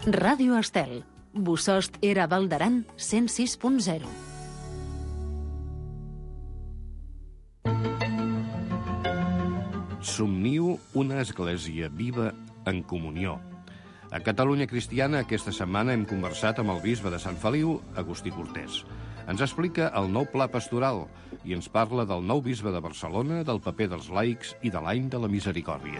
Ràdio Estel. Bossòst era Val d'Aran 106.0. Somniu una església viva en comunió. A Catalunya Cristiana aquesta setmana hem conversat amb el bisbe de Sant Feliu, Agustí Cortés. Ens explica el nou pla pastoral i ens parla del nou bisbe de Barcelona, del paper dels laics i de l'any de la misericòrdia.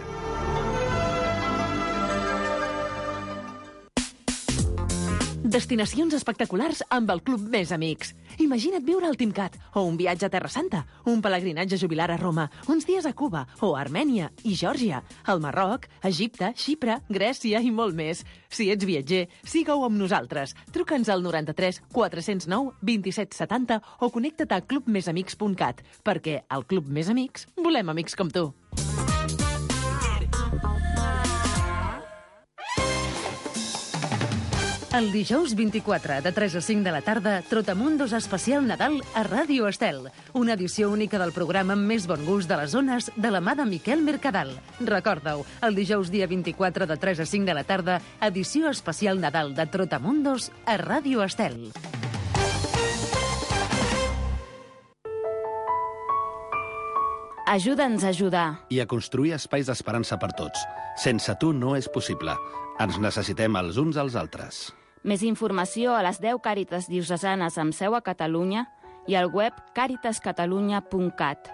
Destinacions espectaculars amb el Club Més Amics. Imagina't viure al Timcat, o un viatge a Terra Santa, un pelegrinatge jubilar a Roma, uns dies a Cuba, o a Armènia i Geòrgia, al Marroc, Egipte, Xipre, Grècia i molt més. Si ets viatger, siga-ho amb nosaltres. Truca'ns al 93 409 27 70 o connecta't a clubmesamics.cat, perquè al Club Més Amics volem amics com tu. El dijous 24, de 3 a 5 de la tarda, Trotamundos Especial Nadal a Ràdio Estel. Una edició única del programa amb més bon gust de les zones de la mà de Miquel Mercadal. Recorda-ho, el dijous dia 24, de 3 a 5 de la tarda, edició especial Nadal de Trotamundos a Ràdio Estel. Ajuda'ns a ajudar. I a construir espais d'esperança per tots. Sense tu no és possible. Ens necessitem els uns als altres. Més informació a les 10 Càritas diocesanes amb seu a Catalunya i al web caritascatalunya.cat.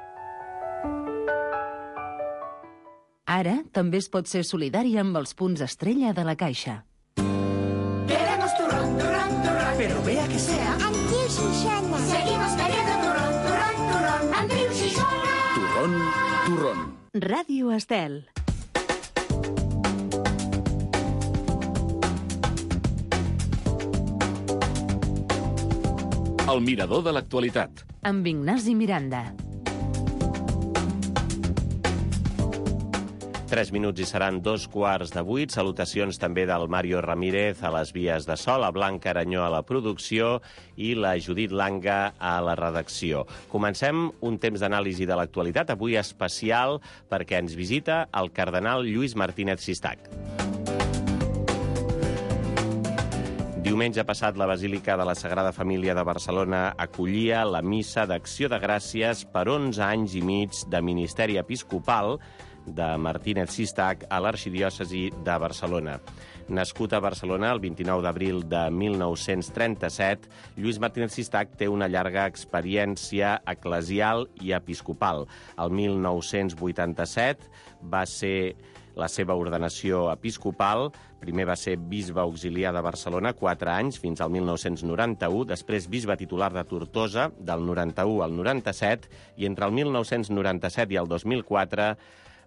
Ara també es pot ser solidari amb els punts estrella de la Caixa. Queremos turrón, turrón, turrón, pero vea que sea Antiu Xixona. Seguimos queriendo turrón, turrón, turrón, Antiu Xixona. Turrón, turrón. Ràdio Estel. El mirador de l'actualitat. Amb Ignasi Miranda. 3 minuts i seran 2:15. Salutacions també del Mario Ramírez a les vies de so, la Blanca Aranyó a la producció i la Judit Langa a la redacció. Comencem un temps d'anàlisi de l'actualitat, avui especial perquè ens visita el cardenal Lluís Martínez Sistac. Diumenge passat, la Basílica de la Sagrada Família de Barcelona acollia la missa d'Acció de Gràcies per 11 anys i mig de ministeri episcopal de Martínez Sistac a l'arxidiòcesi de Barcelona. Nascut a Barcelona el 29 d'abril de 1937, Lluís Martínez Sistac té una llarga experiència eclesial i episcopal. El 1987 va ser la seva ordenació episcopal. Primer va ser bisbe auxiliar de Barcelona 4 anys, fins al 1991, després bisbe titular de Tortosa, del 91 al 97, i entre el 1997 i el 2004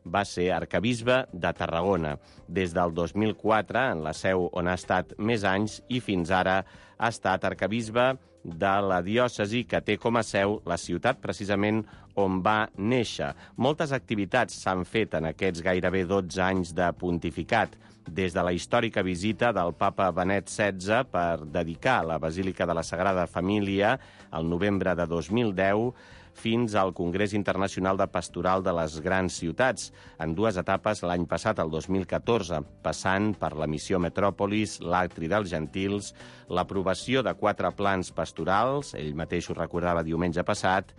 va ser arquebisbe de Tarragona. Des del 2004, en la seu on ha estat més anys, i fins ara ha estat arquebisbe de la diòcesi que té com a seu la ciutat precisament on va néixer. Moltes activitats s'han fet en aquests gairebé 12 anys de pontificat, des de la històrica visita del papa Benet XVI per dedicar la Basílica de la Sagrada Família al novembre de 2010 fins al Congrés Internacional de Pastoral de les Grans Ciutats, en 2 etapes l'any passat, el 2014, passant per la missió Metròpolis, l'Atri dels Gentils, l'aprovació de 4 plans pastorals, ell mateix ho recordava diumenge passat,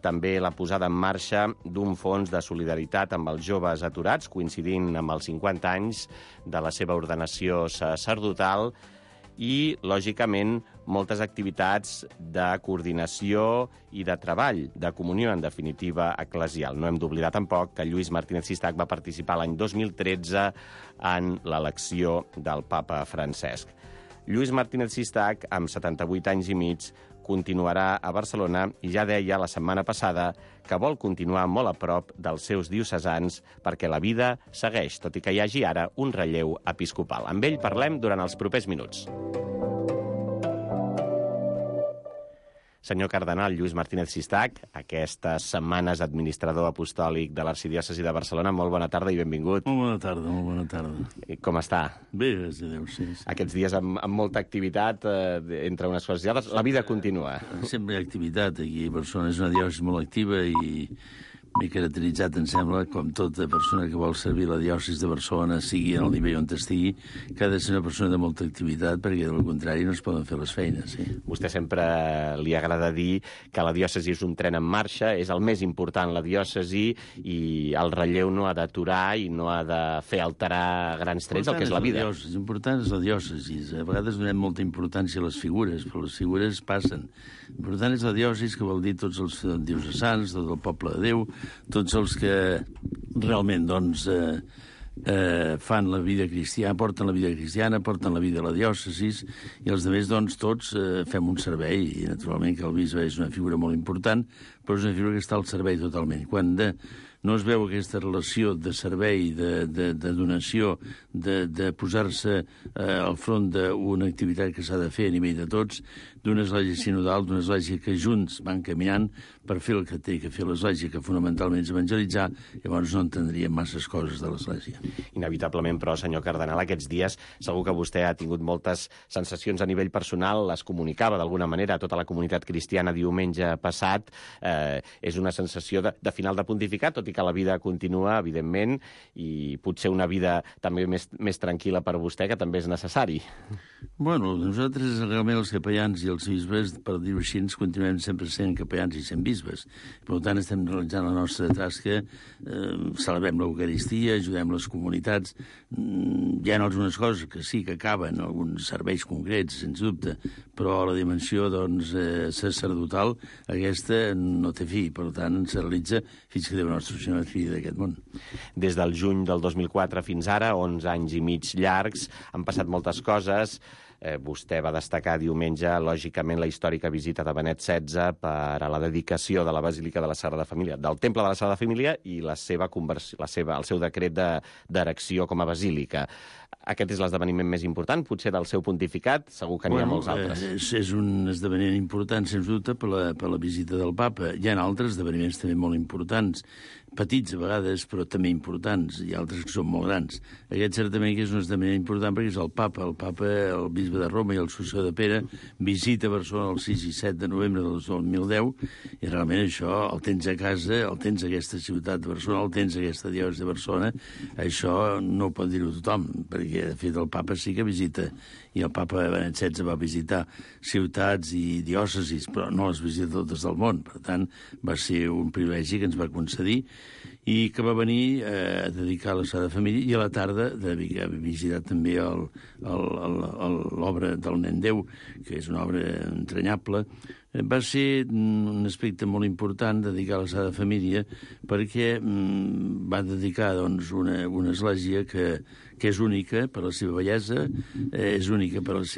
també la posada en marxa d'un fons de solidaritat amb els joves aturats, coincidint amb els 50 anys de la seva ordenació sacerdotal, i, lògicament, moltes activitats de coordinació i de treball, de comunió, en definitiva, eclesial. No hem d'oblidar tampoc que Lluís Martínez Sistac va participar l'any 2013 en l'elecció del papa Francesc. Lluís Martínez Sistac, amb 78 anys i mig, continuarà a Barcelona i ja deia la setmana passada que vol continuar molt a prop dels seus diocesans perquè la vida segueix, tot i que hi hagi ara un relleu episcopal. Amb ell parlem durant els propers minuts. Senyor cardenal Lluís Martínez Sistac, aquestes setmanes administrador apostòlic de l'Arxidiòcesi de Barcelona, molt bona tarda i benvingut. Molt bona tarda, molt bona tarda. Com està? Bé, gràcies a Déu, sí. Aquests dies amb molta activitat, entre unes coses i altres, la vida continua. Sempre hi ha activitat aquí a Barcelona, és una diòcesi molt activa i m'he caracteritzat, em sembla, com tota persona que vol servir la diòcesi de Barcelona, sigui en el nivell on estigui, que ha de ser una persona de molta activitat, perquè, del contrari, no es poden fer les feines. Sí. Vostè sempre li agrada dir que la diòcesi és un tren en marxa, és el més important, la diòcesi, i el relleu no ha d'aturar i no ha de fer alterar grans trets el que és la vida. L'important és la diòcesi. A vegades donem molta importància a les figures, però les figures passen. L'important és la diòcesi, que vol dir tots els diocesans, tot el poble de Déu, tots els que realment doncs, fan la vida cristiana, porten la vida cristiana, porten la vida a la diòcesi, i els altres, doncs, tots fem un servei, i naturalment que el bisbe és una figura molt important, però és una figura que està al servei totalment. Quan no es veu aquesta relació de servei, de donació, de posar-se al front d'una activitat que s'ha de fer a nivell de tots, d'una església sinodal, d'una església que junts van caminant per fer el que té que fer l'església, que fonamentalment és evangelitzar, llavors no entendríem masses coses de l'església. Inevitablement, però, senyor cardenal, aquests dies segur que vostè ha tingut moltes sensacions a nivell personal, les comunicava d'alguna manera a tota la comunitat cristiana diumenge passat. És una sensació de final de pontificat, tot i que la vida continua, evidentment, i potser una vida també més tranquil·la per vostè, que també és necessari. Bueno, nosaltres realment els capellans i els bisbes, per dir-ho així, ens continuem sempre sent capellans i sent bisbes. Per tant, estem realitzant la nostra tasca, celebrem l'Eucaristia, ajudem les comunitats. Hi ha algunes coses que sí que acaben, alguns serveis concrets, sens dubte, però la dimensió doncs, sacerdotal, aquesta no té fi, per tant, se realitza fins que Déu nostre Senyor et fill d'aquest món. Des del juny del 2004 fins ara, 11 anys i mig llargs, han passat moltes coses. Vostè va destacar diumenge, lògicament, la històrica visita de Benet XVI per a la dedicació de la Basílica de la Sagrada Família, del Temple de la Sagrada Família, i la seva conversió, el seu decret d'erecció com a basílica. Aquest és l'esdeveniment més important, potser del seu pontificat, segur que n'hi ha molts altres. És un esdeveniment important, sens dubte, per la visita del papa. Hi ha altres esdeveniments també molt importants, petits a vegades, però també importants, i altres que són molt grans. Aquest certament que és un esdeveniment important perquè és el papa, el bisbe de Roma i el successor de Pere, visita Barcelona el 6 i 7 de novembre del 2010, i realment això el tens a casa, el tens a aquesta ciutat de Barcelona, el tens a aquesta diòcesi de Barcelona. Això no ho pot dir-ho tothom, perquè de fet el papa sí que visita, i el papa Benet XVI va visitar ciutats i diòcesis, però no les visita totes del món. Per tant, va ser un privilegi que ens va concedir, i que va venir a dedicar a la Sagrada Família, i a la tarda va visitar també l'obra del Nen Déu, que és una obra entranyable. Va ser un aspecte molt important dedicar a la Sagrada Família, perquè va dedicar doncs, una església que és única per la seva bellesa, és única per el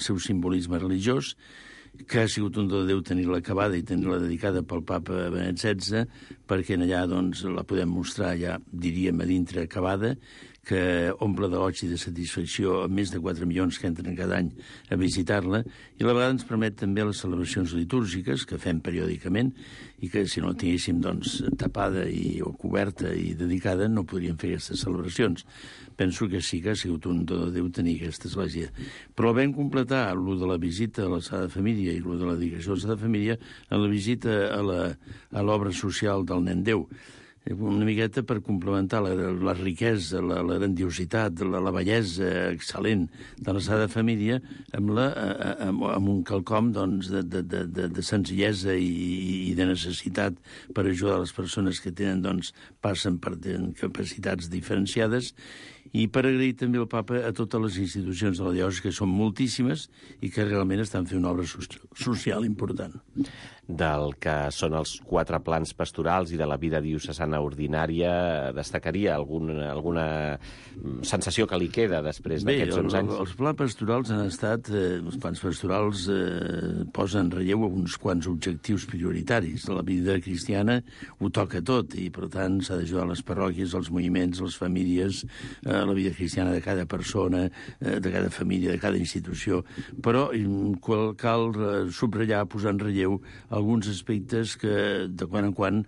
seu simbolisme religiós, que ha sigut un do de Déu tenir-la acabada i tenir-la dedicada pel papa Benet XVI, perquè allà doncs, la podem mostrar ja, diríem, a dintre acabada, que omple d'oig i de satisfacció a més de 4 milions que entren cada any a visitar-la, i a la vegada ens permet també les celebracions litúrgiques que fem periòdicament, i que si no la tinguéssim doncs, tapada o coberta i dedicada no podríem fer aquestes celebracions. Penso que sí que ha sigut un do de Déu tenir aquesta església. Però vam completar allò de la visita a la Sagrada Família i allò de la dedicació a la Sagrada Família en la visita a l'obra social del Nen Déu. Una miqueta per complementar la riquesa, la grandiositat, la bellesa excel·lent de la Sagrada Família amb un quelcom doncs, de senzillesa i de necessitat per ajudar les persones que passen per capacitats diferenciades, i per agrair també al papa a totes les institucions de la diòcesi, que són moltíssimes i que realment estan fent una obra social important. Del que són els 4 plans pastorals i de la vida diocesana ordinària, destacaria alguna sensació que li queda després d'aquests 11 anys? Els plans pastorals han estat... Els plans pastorals posen en relleu uns quants objectius prioritaris. La vida cristiana ho toca tot, i per tant s'ha d'ajudar les parròquies, els moviments, les famílies, la vida cristiana de cada persona, de cada família, de cada institució, però cal subratllar, posar en relleu alguns aspectes que de quan en quan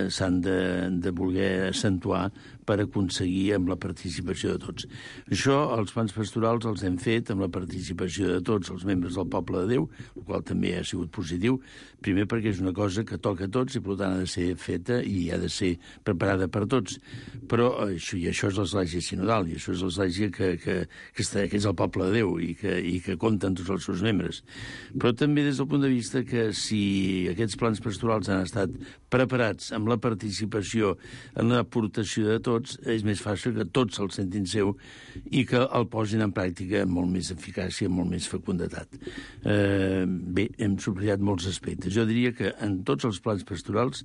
s'han de voler accentuar per aconseguir amb la participació de tots. Això, els plans pastorals els hem fet amb la participació de tots els membres del Poble de Déu, el qual també ha sigut positiu, primer perquè és una cosa que toca a tots i per tant ha de ser feta i ha de ser preparada per tots. Però això és l'església sinodal, i això és l'església que és el Poble de Déu i que compta amb tots els seus membres. Però també des del punt de vista que si aquests plans pastorals han estat preparats amb la participació en l'aportació de tots, és més fàcil que tots el sentin seu i que el posin en pràctica amb molt més eficàcia, amb molt més fecunditat. Bé, hem subratllat molts aspectes. Jo diria que en tots els plans pastorals,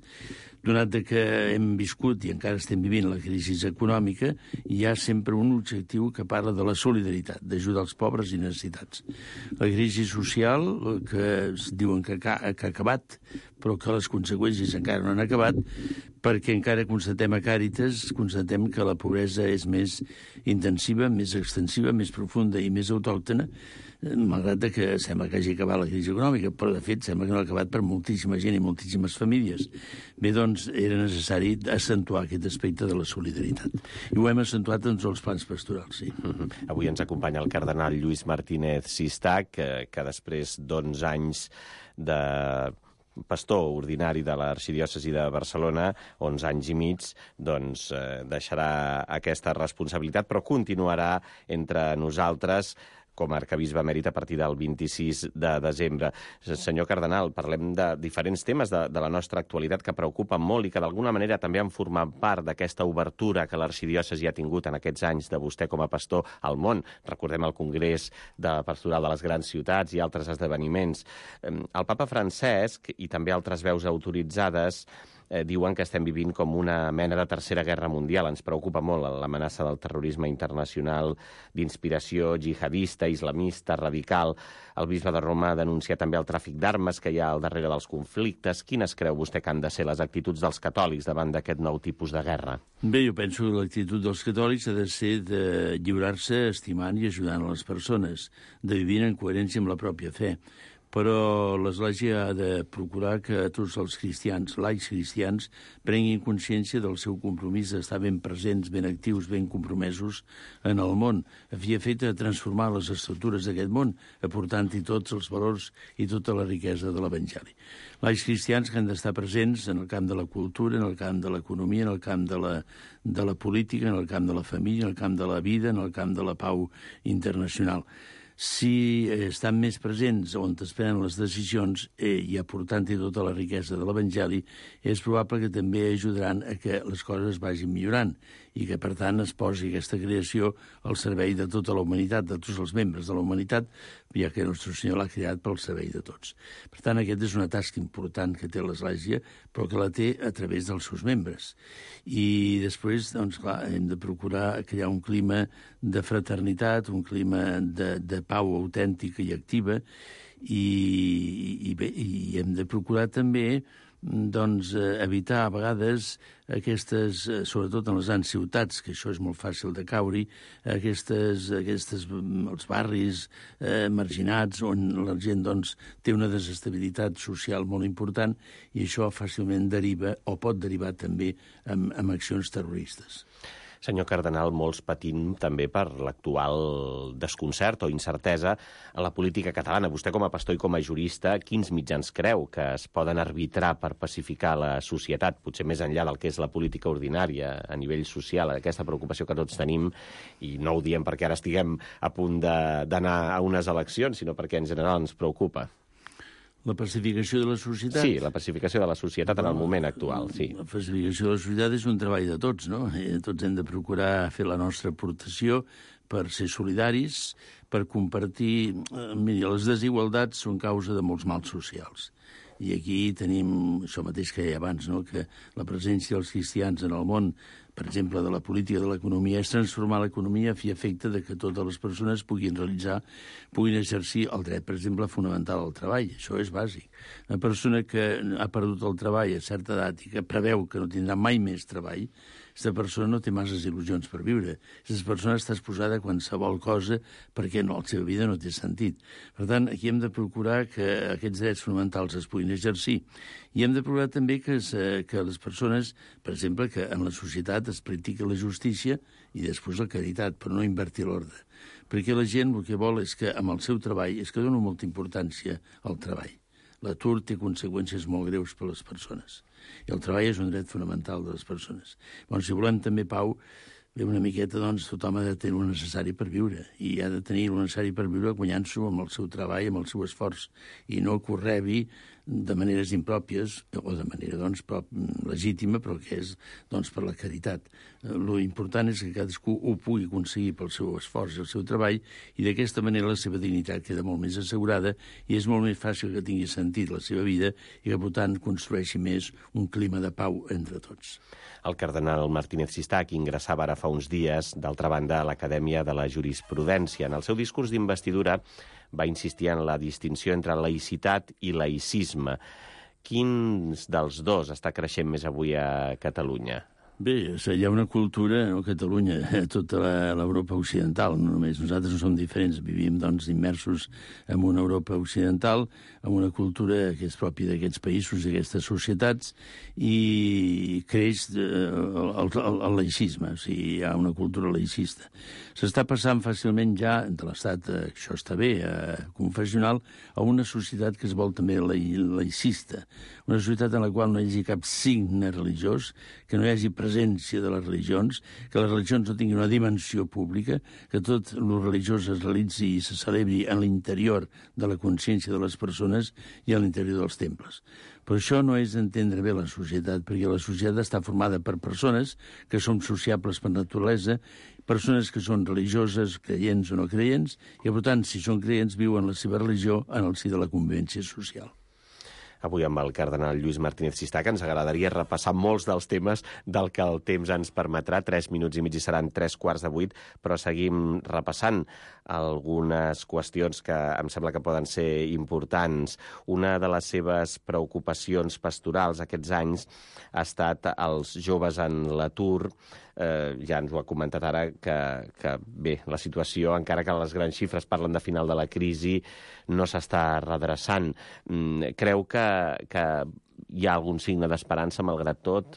donat que hem viscut i encara estem vivint la crisi econòmica, hi ha sempre un objectiu que parla de la solidaritat, d'ajudar els pobres i necessitats. La crisi social, que diuen que ha acabat, però que les conseqüències encara no han acabat, perquè encara constatem a Càritas, constatem que la pobresa és més intensiva, més extensiva, més profunda i més autòctona, malgrat que sembla que hagi acabat la crisi econòmica, però de fet sembla que no ha acabat per moltíssima gent i moltíssimes famílies. Bé, doncs era necessari accentuar aquest aspecte de la solidaritat. I ho hem accentuat en tots els plans pastorals, sí. Avui ens acompanya el cardenal Lluís Martínez Sistac, que després d'11 anys de pastor ordinari de l'Arxidiòcesi de Barcelona, 11 anys i mig, doncs deixarà aquesta responsabilitat, però continuarà entre nosaltres com a arcabisbe emèrit a partir del 26 de desembre. Senyor cardenal, parlem de diferents temes de la nostra actualitat que preocupen molt i que d'alguna manera també han format part d'aquesta obertura que l'arxidiòcesi ha tingut en aquests anys de vostè com a pastor al món. Recordem el Congrés de Pastoral de les Grans Ciutats i altres esdeveniments. El papa Francesc i també altres veus autoritzades diuen que estem vivint com una mena de tercera guerra mundial. Ens preocupa molt l'amenaça del terrorisme internacional d'inspiració jihadista, islamista, radical. El bisbe de Roma denuncia també el tràfic d'armes que hi ha al darrere dels conflictes. Quines creu vostè que han de ser les actituds dels catòlics davant d'aquest nou tipus de guerra? Bé, jo penso que l'actitud dels catòlics ha de ser de lliurar-se estimant i ajudant a les persones, de vivir en coherència amb la pròpia fe. Però l'Església ha de procurar que tots els cristians, laics cristians, prenguin consciència del seu compromís d'estar ben presents, ben actius, ben compromesos en el món, a fi i efecte de transformar les estructures d'aquest món, aportant-hi tots els valors i tota la riquesa de l'Evangeli. Laics cristians que han d'estar presents en el camp de la cultura, en el camp de l'economia, en el camp de la política, en el camp de la família, en el camp de la vida, en el camp de la pau internacional. Si estan més presents on es prenen les decisions i aportant-hi tota la riquesa de l'Evangeli, és probable que també ajudaran a que les coses vagin millorant i que, per tant, es posi aquesta creació al servei de tota la humanitat, de tots els membres de la humanitat, ja que Nostre Senyor l'ha creat pel servei de tots. Per tant, aquesta és una tasca important que té l'Església, però que la té a través dels seus membres. I després, doncs, clar, hem de procurar crear un clima de fraternitat, un clima de pau autèntica i activa, i hem de procurar també doncs, evitar a vegades aquestes, sobretot en les grans ciutats, que això és molt fàcil de caure-hi, els barris marginats on la gent doncs, té una desestabilitat social molt important i això fàcilment deriva o pot derivar també en accions terroristes. Senyor cardenal, molts patim també per l'actual desconcert o incertesa en la política catalana. Vostè com a pastor i com a jurista, quins mitjans creu que es poden arbitrar per pacificar la societat, potser més enllà del que és la política ordinària a nivell social, aquesta preocupació que tots tenim, i no ho diem perquè ara estiguem a punt d'anar a unes eleccions, sinó perquè en general ens preocupa? La pacificació de la societat? Sí, la pacificació de la societat en el moment actual, sí. La pacificació de la societat és un treball de tots, no? Tots hem de procurar fer la nostra aportació per ser solidaris, per compartir... Miri, les desigualtats són causa de molts mals socials. I aquí tenim això mateix que deia abans, no? Que la presència dels cristians en el món, per exemple, de la política, de l'economia, és transformar l'economia a fi i efecte de que totes les persones puguin exercir el dret, per exemple, fonamental al treball. Això és bàsic. Una persona que ha perdut el treball a certa edat i que preveu que no tindrà mai més treball, aquesta persona no té masses il·lusions per viure. Aquesta persona està exposada a qualsevol cosa perquè la seva vida no té sentit. Per tant, aquí hem de procurar que aquests drets fonamentals es puguin exercir. I hem de procurar també que les persones, per exemple, que en la societat es practiqui la justícia i després la caritat, però no invertir l'ordre. Perquè la gent el que vol és que amb el seu treball és que dona molta importància al treball. L'atur té conseqüències molt greus per a les persones. I el treball és un dret fonamental de les persones. Bueno, si volem també pau, una miqueta, doncs, tothom ha de tenir el necessari per viure. I ha de tenir el necessari per viure guanyant-s'ho amb el seu treball, amb el seu esforç, i no que ho rebi de maneres impròpies, o de manera, doncs, legítima, però que és, doncs, per la caritat. Lo important és que cadascú ho pugui aconseguir pel seu esforç i el seu treball, i d'aquesta manera la seva dignitat queda molt més assegurada i és molt més fàcil que tingui sentit la seva vida i que, per tant, construeixi més un clima de pau entre tots. El cardenal Martínez Sistac ingressava ara fa uns dies, d'altra banda, a l'Acadèmia de la Jurisprudència. En el seu discurs d'investidura va insistir en la distinció entre laïcitat i laïcisme. Quins dels dos està creixent més avui a Catalunya? Bé, hi ha una cultura a Catalunya, a tota l'Europa occidental, no només nosaltres no som diferents, vivim doncs immersos en una Europa occidental, amb una cultura que és pròpia d'aquests països, d'aquestes societats, i creix el laïcisme, o sigui, hi ha una cultura laïcista. S'està passant fàcilment ja de l'estat, això està bé, confessional, a una societat que es vol també laïcista, una societat en la qual no hi hagi cap signe religiós, que no hi hagi presència de les religions, que les religions no tinguin una dimensió pública, que tot el religiós es realitzi i se celebri en l'interior de la consciència de les persones i a l'interior dels temples. Però això no és entendre bé la societat, perquè la societat està formada per persones que són sociables per naturalesa, persones que són religioses, creients o no creients, i per tant, si són creients, viuen la seva religió en el si de la convivència social. Avui amb el cardenal Lluís Martínez Sistac ens agradaria repassar molts dels temes del que el temps ens permetrà. 3 minuts i mig i seran 7:45, però seguim repassant algunes qüestions que em sembla que poden ser importants. Una de les seves preocupacions pastorals aquests anys ha estat els joves en l'atur. Ja ens ho ha comentat ara que bé, la situació, encara que les grans xifres parlen de final de la crisi, no s'està redreçant. Creu que hi ha algun signe d'esperança, malgrat tot,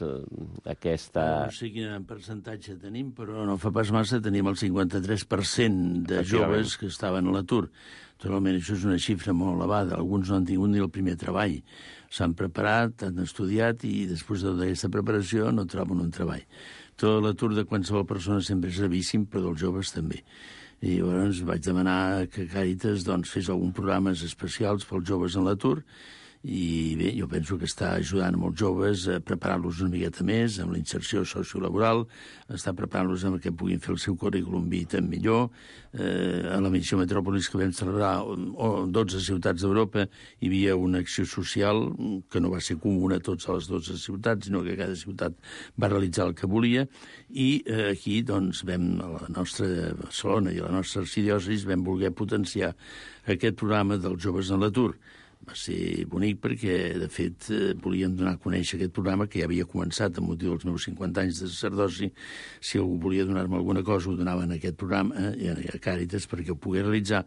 aquesta... No sé quin percentatge tenim, però no fa pas massa tenim el 53% de joves que estaven a l'atur. Totalment, això és una xifra molt elevada. Alguns no han tingut ni el primer treball. S'han preparat, han estudiat i després de tota aquesta preparació no troben un treball. Tot l'atur de qualsevol persona sempre és gravíssim, però dels joves també. I llavors vaig demanar que Càritas fes alguns programes especials pels joves en l'atur, i bé, jo penso que està ajudant molts joves a preparar-los una miqueta més amb la inserció sociolaboral, està preparant-los que puguin fer el seu currículum vitae millor. A la missió Metròpolis que vam celebrar a 12 ciutats d'Europa hi havia una acció social que no va ser comuna a totes les 12 ciutats, sinó que cada ciutat va realitzar el que volia, i aquí vam, a la nostra Barcelona i a la nostra arxidiòcesi, vam voler potenciar aquest programa dels joves en l'atur. Va ser bonic perquè, de fet, volíem donar a conèixer aquest programa que ja havia començat amb motiu dels meus 50 anys de sacerdoci. Si algú volia donar-me alguna cosa, ho donava en aquest programa, a Càritas, perquè ho pogués realitzar.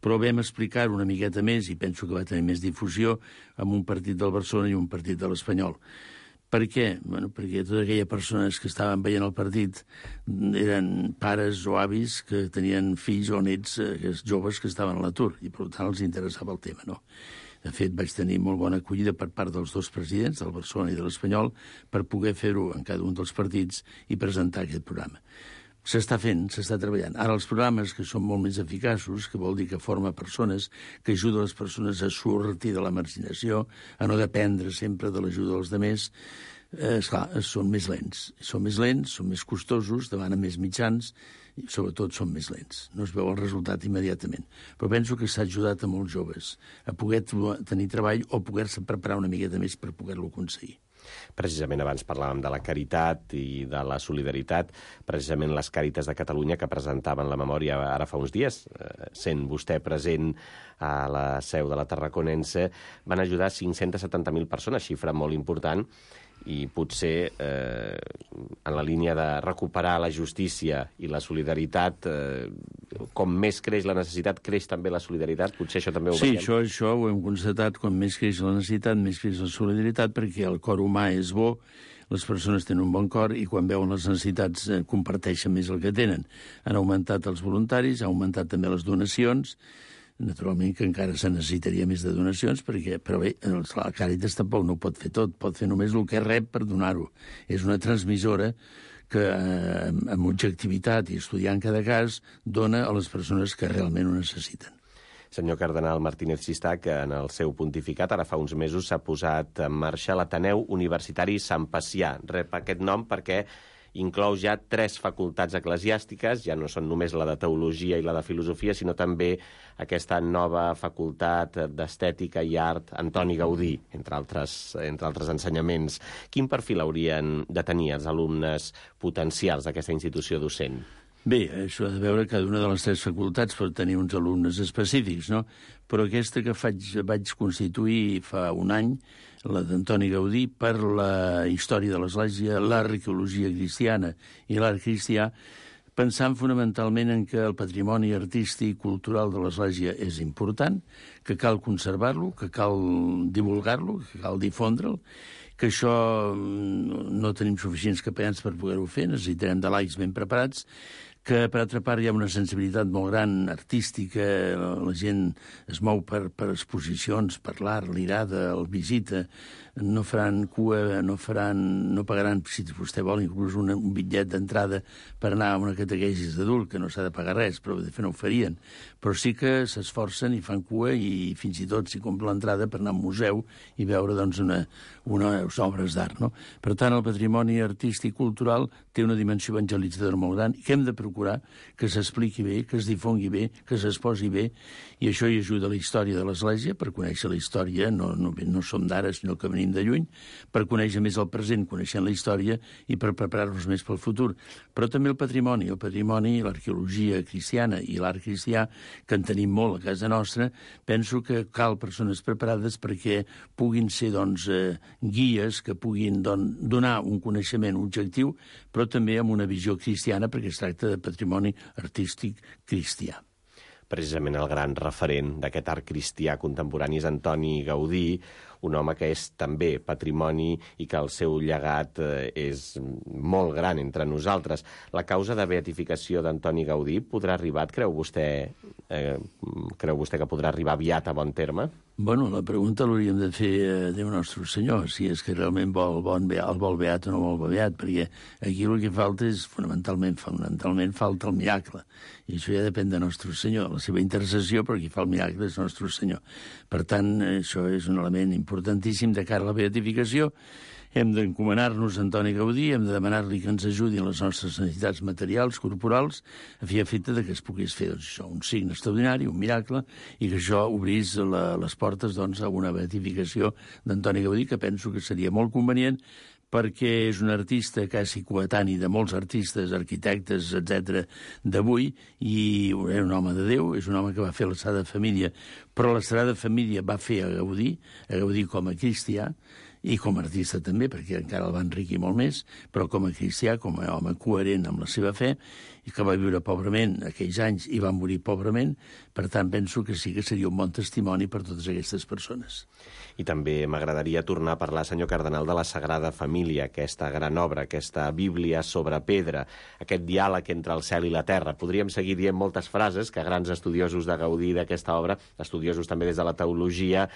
Però vam explicar-ho una miqueta més i penso que va tenir més difusió amb un partit del Barcelona i un partit de l'Espanyol. Per què? Perquè totes aquelles persones que estaven veient el partit eren pares o avis que tenien fills o nets joves que estaven a l'atur i, per tant, els interessava el tema, no? De fet, vaig tenir molt bona acollida per part dels dos presidents, del Barcelona i de l'Espanyol, per poder fer-ho en cada un dels partits i presentar aquest programa. S'està fent, s'està treballant. Ara, els programes que són molt més eficaços, que vol dir que forma persones, que ajuda les persones a sortir de la marginació, a no dependre sempre de l'ajuda dels altres, esclar, són més lents. Són més costosos, demanen més mitjans, i sobretot són més lents. No es veu el resultat immediatament. Però penso que s'ha ajudat a molts joves a poder tenir treball o poder-se preparar una miqueta més per poder-lo aconseguir. Precisament abans parlàvem de la caritat i de la solidaritat. Precisament les Càritas de Catalunya, que presentaven la memòria ara fa uns dies, sent vostè present a la seu de la Tarraconense, van ajudar 570.000 persones, xifra molt important, i potser en la línia de recuperar la justícia i la solidaritat, com més creix la necessitat, creix també la solidaritat? Potser això també ho veiem. Sí, això ho hem constatat. Com més creix la necessitat, més creix la solidaritat, perquè el cor humà és bo, les persones tenen un bon cor i quan veuen les necessitats comparteixen més el que tenen. Han augmentat els voluntaris, ha augmentat també les donacions, naturalment que encara se necessitaria més de donacions, però bé, la Càritas tampoc no ho pot fer tot, pot fer només el que rep per donar-ho. És una transmissora que amb objectivitat i estudiant cada cas dona a les persones que realment ho necessiten. Senyor cardenal Martínez Xistac, en el seu pontificat, ara fa uns mesos, s'ha posat en marxa l'Ateneu Universitari Sant Pacià. Rep aquest nom perquè inclou ja 3 facultats eclesiàstiques, ja no són només la de Teologia i la de Filosofia, sinó també aquesta nova facultat d'Estètica i Art Antoni Gaudí, entre altres ensenyaments. Quin perfil haurien de tenir els alumnes potencials d'aquesta institució docent? Bé, això ha de veure cada una de les 3 facultats per tenir uns alumnes específics, no? Però aquesta que vaig constituir fa un any, la d'Antoni Gaudí, per la història de l'Església, l'arqueologia cristiana i l'art cristià, pensant fonamentalment en que el patrimoni artístic i cultural de l'Església és important, que cal conservar-lo, que cal divulgar-lo, que cal difondre'l, que això no tenim suficients capellans per poder-ho fer, necessitarem de laics ben preparats, que per altra part hi ha una sensibilitat molt gran artística, la gent es mou per exposicions, per l'art, l'irada, el visita, no faran cua, no pagaran, si vostè vol, inclús un bitllet d'entrada per anar a una catequesis d'adult, que no s'ha de pagar res, però de fet no ho farien. Però sí que s'esforcen i fan cua i fins i tot s'hi compra l'entrada per anar a un museu i veure doncs, unes obres d'art. No? Per tant, el patrimoni artístic i cultural té una dimensió evangelitzadora molt gran i que hem de procurar que s'expliqui bé, que es difongui bé, que s'exposi bé, i això hi ajuda la història de l'Església, per conèixer la història, no som d'ara, sinó que venim de lluny, per conèixer més el present, coneixent la història, i per preparar-nos més pel futur. Però també el patrimoni, l'arqueologia cristiana i l'art cristià, que en tenim molt a casa nostra, penso que cal persones preparades perquè puguin ser guies, que puguin donar un coneixement objectiu, però també amb una visió cristiana, perquè es tracta de patrimoni artístic cristià. Precisament el gran referent d'aquest art cristià contemporani és Antoni Gaudí, un home que és també patrimoni i que el seu llegat és molt gran entre nosaltres. La causa de beatificació d'Antoni Gaudí podrà arribar, creu vostè que podrà arribar aviat a bon terme? Bueno, la pregunta l'hauríem de fer a Déu Nostre Senyor, si és que realment el vol beat o no vol beat, perquè aquí el que falta és fonamentalment falta el miracle, i això ja depèn de Nostre Senyor, la seva intercessió, però qui fa el miracle és Nostre Senyor. Per tant, això és un element importantíssim de cara a la beatificació. Hem d'encomanar-nos a Antoni Gaudí, hem de demanar-li que ens ajudi en les nostres necessitats materials, corporals, a fi efecte que es pogués fer un signe extraordinari, un miracle, i que això obrís les portes a una beatificació d'Antoni Gaudí, que penso que seria molt convenient, perquè és un artista quasi coetani de molts artistes, arquitectes, etc. d'avui, i és un home de Déu, és un home que va fer la Sagrada Família, però la Sagrada Família va fer a Gaudí com a cristià, i com a artista també, perquè encara el va enriquir molt més, però com a cristià, com a home coherent amb la seva fe, i que va viure pobrament aquells anys i va morir pobrament, per tant penso que sí que seria un bon testimoni per totes aquestes persones. I també m'agradaria tornar a parlar, senyor cardenal, de la Sagrada Família, aquesta gran obra, aquesta Bíblia sobre pedra, aquest diàleg entre el cel i la terra. Podríem seguir dient moltes frases que grans estudiosos de Gaudí d'aquesta obra, estudiosos també des de la teologia,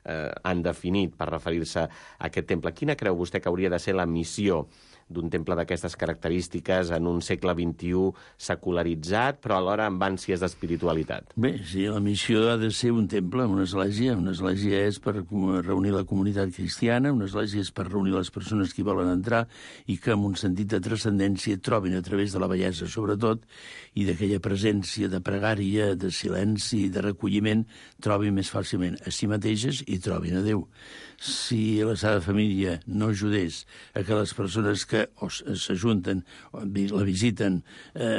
han definit per referir-se a aquest temple. Quina creu vostè que hauria de ser la missió d'un temple d'aquestes característiques en un segle XXI secularitzat, però alhora amb ànsies d'espiritualitat? Bé, sí, la missió ha de ser un temple, una església. Una església és per reunir la comunitat cristiana, una església és per reunir les persones que hi volen entrar i que amb un sentit de transcendència trobin a través de la bellesa, sobretot, i d'aquella presència de pregària, de silenci, de recolliment, trobin més fàcilment a si mateixes i trobin a Déu. Si la Sagrada Família no ajudés a que les persones que que s'ajunten, la visiten,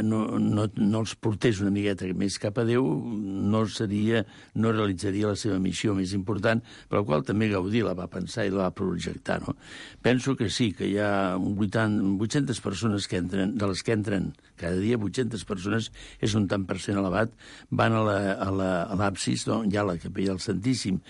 no els portés una miqueta més cap a Déu, no realitzaria la seva missió més important, per la qual també Gaudí la va pensar i la va projectar. No? Penso que sí, que hi ha 800 persones que entren, de les que entren cada dia, 800 persones, és un tant per cent elevat, van a l'absis, hi ha la capella del Santíssim,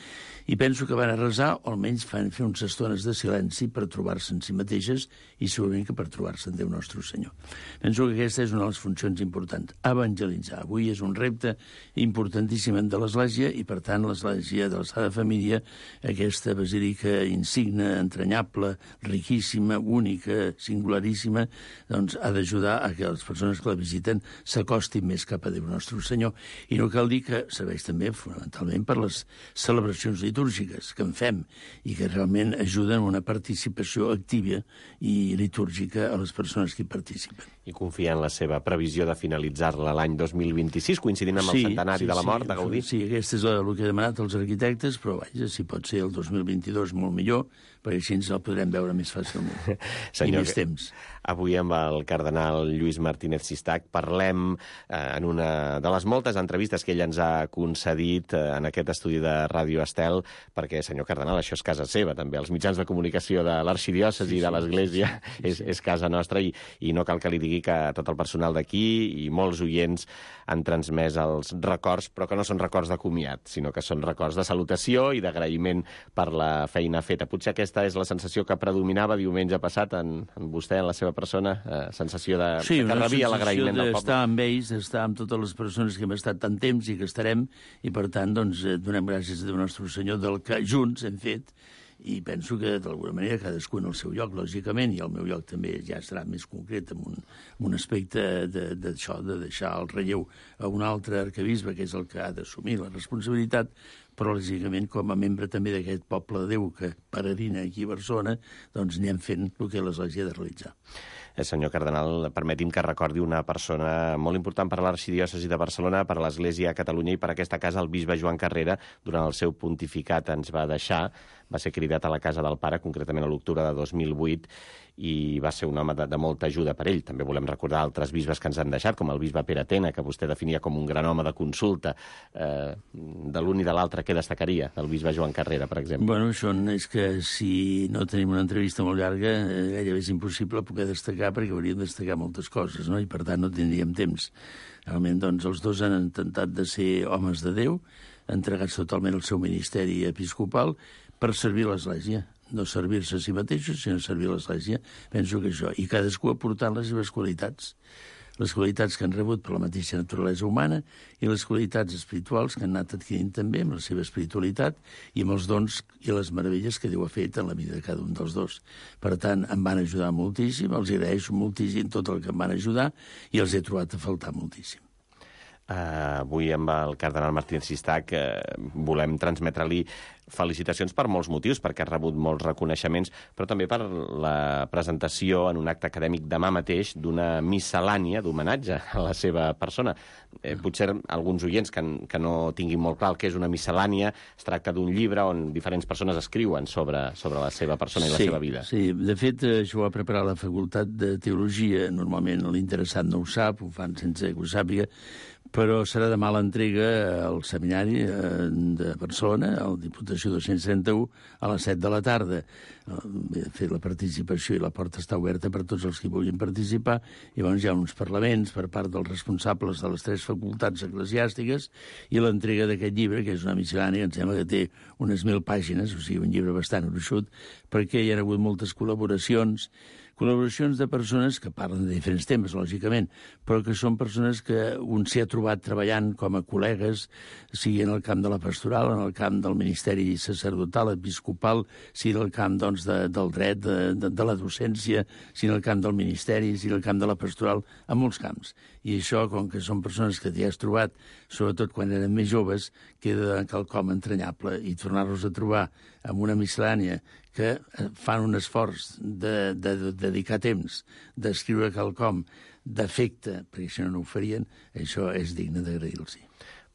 i penso que van a resar, o almenys fan fer unes estones de silenci per trobar-se en si mateixes i segurament que per trobar-se en Déu Nostre Senyor. Penso que aquesta és una de les funcions importants, evangelitzar. Avui és un repte importantíssim de l'Església i, per tant, l'Església de la Sagrada Família, aquesta basílica insigne, entranyable, riquíssima, única, singularíssima, doncs ha d'ajudar a que les persones que la visiten s'acostin més cap a Déu Nostre Senyor. I no cal dir que serveix també fonamentalment per les celebracions litúrgiques que en fem i que realment ajuden a una participació activa i litúrgica a les persones que hi participen. I confia en la seva previsió de finalitzar-la l'any 2026, coincidint amb el centenari de la mort de Gaudí. Sí, aquest és el que he demanat als arquitectes, però vaja, si pot ser el 2022 molt millor, perquè així ens el podrem veure més fàcilment. I més temps. Avui amb el cardenal Lluís Martínez Sistac parlem en una de les moltes entrevistes que ell ens ha concedit en aquest estudi de Ràdio Estel, perquè, senyor cardenal, això és casa seva, també. Els mitjans de comunicació de l'arxidiòcesi i de l'Església és casa nostra i no cal que li digui que tot el personal d'aquí i molts oients han transmès els records, però que no són records de comiat, sinó que són records de salutació i d'agraïment per la feina feta. Potser aquesta és la sensació que predominava diumenge passat en vostè, en la seva persona, sensació de que rebia l'agraïment del poble. Sí, una sensació d'estar amb ells, d'estar amb totes les persones que hem estat tant temps i que estarem, i per tant, doncs, donem gràcies a Déu Nostre Senyor del que junts hem fet, i penso que, d'alguna manera, cadascú en el seu lloc, lògicament, i el meu lloc també ja serà més concret en un aspecte d'això, de deixar el relleu a un altre arquebisbe, que és el que ha d'assumir la responsabilitat, però, lògicament, com a membre també d'aquest poble de Déu que peregrina aquí a Barcelona, doncs anem fent el que l'Església ha de realitzar. Senyor cardenal, permeti'm que recordi una persona molt important per a l'arxidiòcesi de Barcelona, per a l'Església a Catalunya i per a aquesta casa, el bisbe Joan Carrera, durant el seu pontificat ens va deixar, va ser cridat a la casa del pare, concretament a l'octubre de 2008, i va ser un home de molta ajuda per ell. També volem recordar altres bisbes que ens han deixat, com el bisbe Pere Tena, que vostè definia com un gran home de consulta. De l'un i de l'altre, què destacaria del bisbe Joan Carrera, per exemple? Bueno, això és que si no tenim una entrevista molt llarga, gairebé és impossible poder destacar, perquè hauríem de destacar moltes coses, no? I per tant no tindríem temps. Realment, doncs, els dos han intentat de ser homes de Déu, entregats totalment al seu ministeri episcopal per servir l'Església. No servir-se a si mateixos, sinó servir l'Església. Penso que això. I cadascú aportant les seves qualitats. Les qualitats que han rebut per la mateixa naturalesa humana i les qualitats espirituals que han anat adquirint també amb la seva espiritualitat i amb els dons i les meravelles que Déu ha fet en la vida de cada un dels dos. Per tant, em van ajudar moltíssim, els agraeixo moltíssim tot el que em van ajudar i els he trobat a faltar moltíssim. Avui amb el cardenal Martínez Sistac volem transmetre-li felicitacions per molts motius, perquè ha rebut molts reconeixements, però també per la presentació en un acte acadèmic demà mateix d'una miscel·lània d'homenatge a la seva persona. Potser alguns oients que no tinguin molt clar el que és una miscel·lània, es tracta d'un llibre on diferents persones escriuen sobre la seva persona i la seva vida. Sí, de fet, això ho ha preparat la Facultat de Teologia. Normalment l'interessat no ho sap, ho fan sense que ho sàpiga, però serà demà l'entrega al seminari de Barcelona, al Diputació 231, a les 7 de la tarda. He fet la participació i la porta està oberta per tots els que vulguin participar. I llavors hi ha uns parlaments per part dels responsables de les 3 facultats eclesiàstiques i l'entrega d'aquest llibre, que és una miscel·lània, em sembla que té unes 1.000 pàgines, o sigui, un llibre bastant gruixut, perquè hi ha hagut moltes col·laboracions de persones que parlen de diferents temes, lògicament, però que són persones que un s'hi ha trobat treballant com a col·legues, sigui en el camp de la pastoral, en el camp del ministeri sacerdotal, episcopal, sigui en el camp doncs, del dret, de la docència, sigui en el camp del ministeri, sigui en el camp de la pastoral, en molts camps. I això, com que són persones que t'hi has trobat, sobretot quan eren més joves, queda quelcom entranyable. I tornar-los a trobar amb una miscel·lània que fan un esforç de dedicar temps, d'escriure quelcom d'afecte, perquè si no ho farien, això és digne d'agrair-los.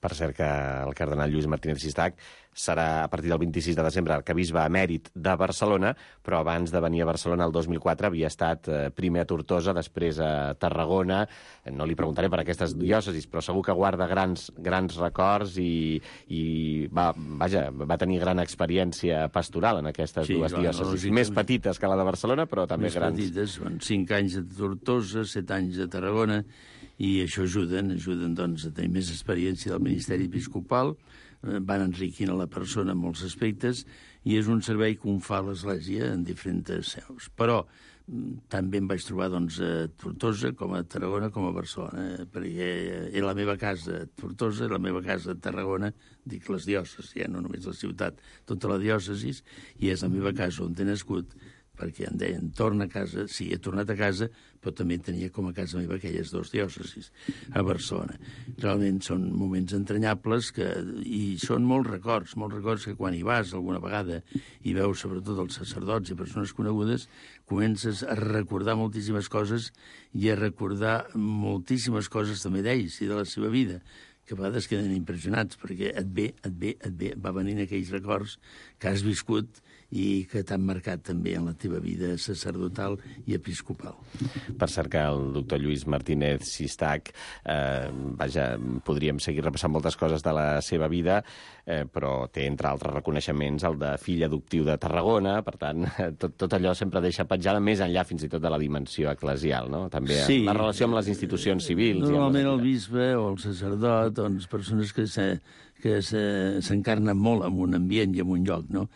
Per cert que el cardenal Lluís Martínez Sistac serà a partir del 26 de desembre arquebisbe emèrit de Barcelona, però abans de venir a Barcelona el 2004 havia estat primer a Tortosa, després a Tarragona. No li preguntaré per aquestes diòcesis, però segur que guarda grans records i va tenir gran experiència pastoral en aquestes dues diòcesis. Més petites que la de Barcelona, però també grans. Més petites, són 5 anys a Tortosa, 7 anys a Tarragona, i això ajuden doncs, a tenir més experiència del ministeri episcopal, van enriquint a la persona en molts aspectes, i és un servei que fa l'Església en diferents seus. Però també em vaig trobar doncs, a Tortosa, com a Tarragona, com a Barcelona, perquè era la meva casa a Tortosa, la meva casa a Tarragona, dic les diòcesis, no només la ciutat, tota la diòcesis, i és la meva casa on he nascut, perquè em deien, torna a casa, sí, he tornat a casa, però també tenia com a casa meva aquelles 2 diòcesis a Barcelona. Realment són moments entranyables i són molts records que quan hi vas alguna vegada i veus sobretot els sacerdots i persones conegudes, comences a recordar moltíssimes coses i a recordar moltíssimes coses també d'ells i de la seva vida, que a vegades queden impressionats, perquè et ve, va venint aquells records que has viscut i que t'han marcat també en la teva vida sacerdotal i episcopal. Per cert que el doctor Lluís Martínez Sistac, podríem seguir repassant moltes coses de la seva vida, però té, entre altres reconeixements, el de fill adoptiu de Tarragona, per tant, tot allò sempre deixa petjada més enllà fins i tot de la dimensió eclesial, no? També sí, la relació amb les institucions civils. Normalment el bisbe o el sacerdot, doncs, persones que s'encarnen molt en un ambient i en un lloc, no?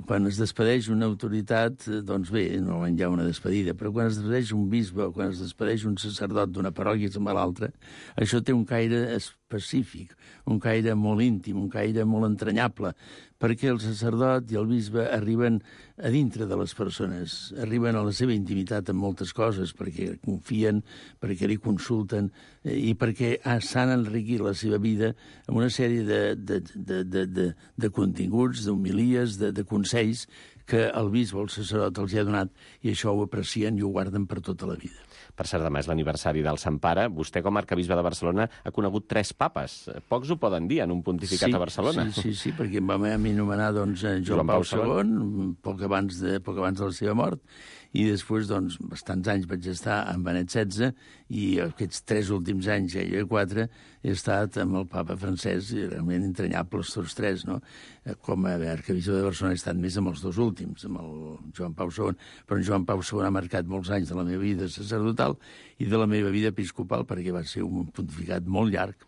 Quan es despedeix una autoritat, doncs bé, normalment hi ha una despedida, però quan es despedeix un bisbe o quan es despedeix un sacerdot d'una parròquia amb l'altra, això té un caire específic, un caire molt íntim, un caire molt entranyable, perquè el sacerdot i el bisbe arriben a dintre de les persones, arriben a la seva intimitat en moltes coses, perquè confien, perquè li consulten i perquè s'han enriquit la seva vida amb una sèrie de continguts, d'homilies, de consells que el bisbe o el sacerdot els ha donat, i això ho aprecien i ho guarden per tota la vida. Per cert, demà és l'aniversari del Sant Pare. Vostè, com a arquebisbe de Barcelona, ha conegut 3 papes. Pocs ho poden dir en un pontificat a Barcelona. Sí, perquè em va anomenar doncs, Joan Pau II, poc abans de la seva mort, i després, doncs, bastants anys vaig estar amb Benet XVI, i aquests 3 últims anys, ja 4, he estat amb el papa francès, i realment entranyables tots 3, no? Com a arquebisbe de Barcelona he estat més amb els 2 últims, amb el Joan Pau II, però en Joan Pau II ha marcat molts anys de la meva vida sacerdotal i de la meva vida episcopal, perquè va ser un pontificat molt llarg.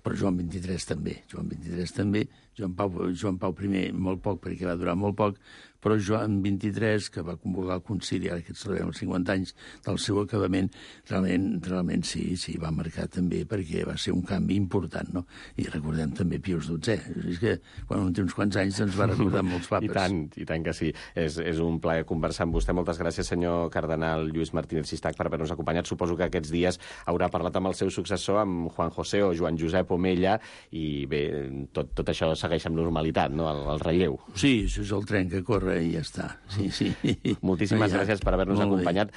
Però Joan XXIII també, Joan Pau I molt poc, perquè va durar molt poc, però Joan XXIII, que va convocar el concili, ara que celebrem els 50 anys del seu acabament, realment sí, va marcar també, perquè va ser un canvi important, no? I recordem també Pius XII. És que quan un té uns quants anys ens va recordar molts papes. I tant que sí. És un plaer conversar amb vostè. Moltes gràcies, senyor cardenal Lluís Martínez Sistac, per haver-nos acompanyat. Suposo que aquests dies haurà parlat amb el seu successor, amb Juan José o Joan Josep Omella, i bé, tot això segueix amb normalitat, no?, el relleu. Sí, això és el tren que corre i ja està. Sí. Moltíssimes gràcies per haver-nos acompanyat.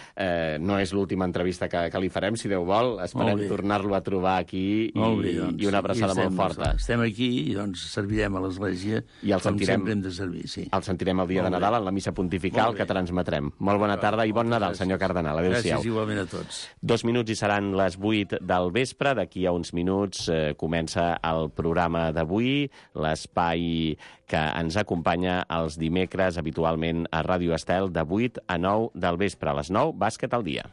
No és l'última entrevista que li farem, si Déu vol. Esperem tornar-lo a trobar aquí i una abraçada molt forta. Estem aquí i doncs servirem a l'Església com sempre hem de servir. El sentirem el dia de Nadal en la missa pontifical que transmetrem. Molt bona tarda i bon Nadal, senyor cardenal. Adéu-siau. Gràcies igualment a tots. 2 minuts i seran les 8 del vespre. D'aquí a uns minuts comença el programa d'avui, l'espai que ens acompanya els dimecres habitualment a Ràdio Estel de 8 a 9 del vespre. A les 9, Bàsquet al dia.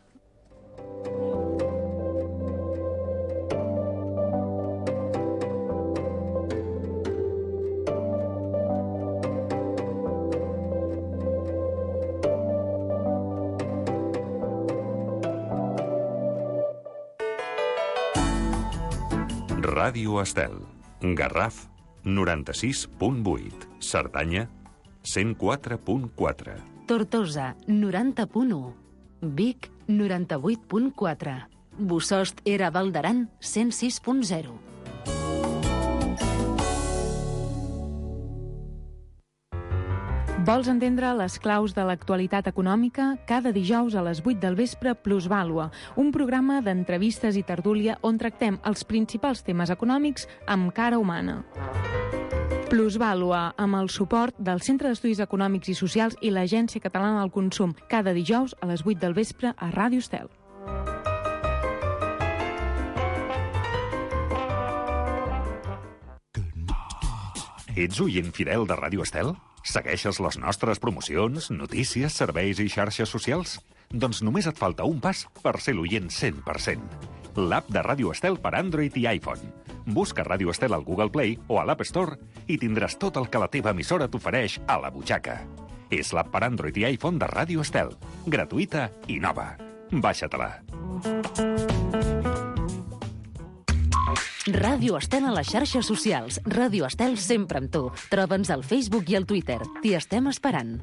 Ràdio Estel. Garraf, 96.8. Cerdanya, 104.4. Tortosa, 90.1. Vic, 98.4. Bossòst era Val d'Aran, 106.0. Vols entendre les claus de l'actualitat econòmica? Cada dijous a les 8 del vespre, Plusvàlua, un programa d'entrevistes i tertúlia on tractem els principals temes econòmics amb cara humana. Plusvàlua, amb el suport del Centre d'Estudis Econòmics i Socials i l'Agència Catalana del Consum, cada dijous a les 8 del vespre a Ràdio Estel. Ets oient fidel de Ràdio Estel? Segueixes les nostres promocions, notícies, serveis i xarxes socials? Doncs només et falta un pas per ser l'oient 100%. L'app de Ràdio Estel per Android i iPhone. Busca Ràdio Estel al Google Play o a l'App Store i tindràs tot el que la teva emissora t'ofereix a la butxaca. És l'app per Android i iPhone de Ràdio Estel. Gratuïta i nova. Baixa-te-la. Ràdio Estel a les xarxes socials. Ràdio Estel sempre amb tu. Troba'ns al Facebook i al Twitter. T'hi estem esperant.